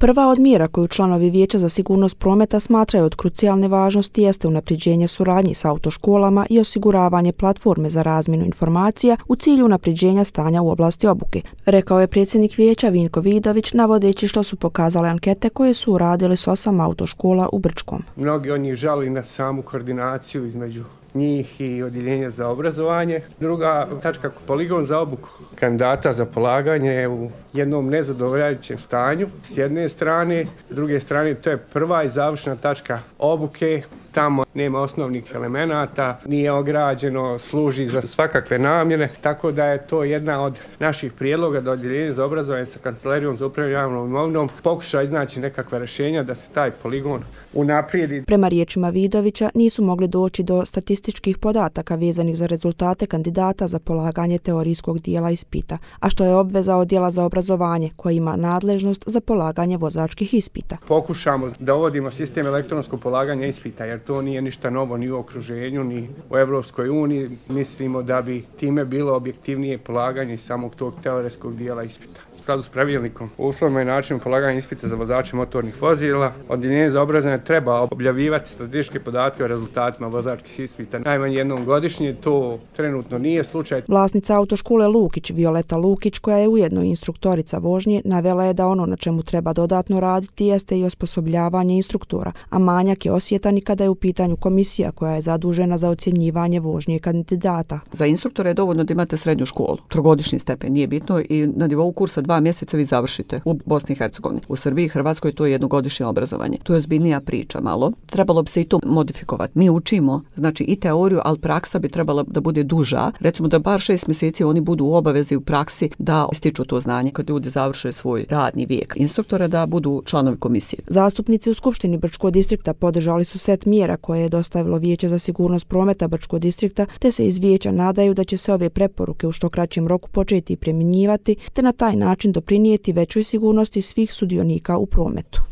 Prva od mjera koju članovi Vijeća za sigurnost prometa smatraju od krucijalne važnosti jeste unapređenje suradnje s autoškolama i osiguravanje platforme za razmjenu informacija u cilju unapređenja stanja u oblasti obuke, rekao je predsjednik Vijeća Vinko Vidović, navodeći što su pokazale ankete koje su uradili s 8 autoškola u Brčkom. Mnogi od njih žali na samu koordinaciju između njih i odjeljenja za obrazovanje. Druga tačka, poligon za obuku kandidata za polaganje je u jednom nezadovoljavajućem stanju s jedne strane, s druge strane to je prva i završna tačka obuke. Tamo nema osnovnih elemenata, nije ograđeno, služi za svakakve namjene, tako da je to jedna od naših prijedloga da odjeljenje za obrazovanje sa Kancelarijom za upravljanje javnom imovinom pokuša iznaći nekakva rješenja da se taj poligon unaprijedi. Prema riječima Vidovića nisu mogli doći do statističkih podataka vezanih za rezultate kandidata za polaganje teorijskog dijela ispita, a što je obveza odjela za obrazovanje koji ima nadležnost za polaganje vozačkih ispita. Pokušamo da uvodimo sistem elektronskog polaganja ispita jer to nije ništa novo ni u okruženju, ni u Europskoj uniji. Mislimo da bi time bilo objektivnije polaganje samog tog teorijskog dijela ispita. U skladu s pravilnikom o uslovima i načinu polaganja ispita za vozače motornih vozila, odjeljenje za obrazovanje treba objavljivati statističke podatke o rezultatima vozačkih ispita najmanje jednom godišnje. To trenutno nije slučaj. Vlasnica autoškole Lukić, Violeta Lukić, koja je ujedno instruktorica vožnje, navela je da ono na čemu treba dodatno raditi jeste i osposobljavanje instruktora, a manjak je osjetan i kada je u pitanju komisija koja je zadužena za ocjenjivanje vožnje kandidata. Za instruktore je dovoljno da imate srednju školu, trogodišnji stepen, nije bitno, i na nivou kursa 2 mjeseca vi završite u Bosni i Hercegovini. U Srbiji i Hrvatskoj to je jednogodišnje obrazovanje. To je ozbiljnija priča malo. Trebalo bi se i to modifikovati. Mi učimo, znači i teoriju, ali praksa bi trebala da bude duža. Recimo da bar 6 mjeseci oni budu u obavezi u praksi da stiču to znanje kad ljudi završe svoj radni vijek instruktora, da budu članovi komisije. Zastupnici u Skupštini Brčkog distrikta podržali su set mjera koje je dostavilo Vijeće za sigurnost prometa Brčkog distrikta, te se iz vijeća nadaju da će se ove preporuke u što kraćem roku početi primjenjivati, te na taj način doprinijeti većoj sigurnosti svih sudionika u prometu.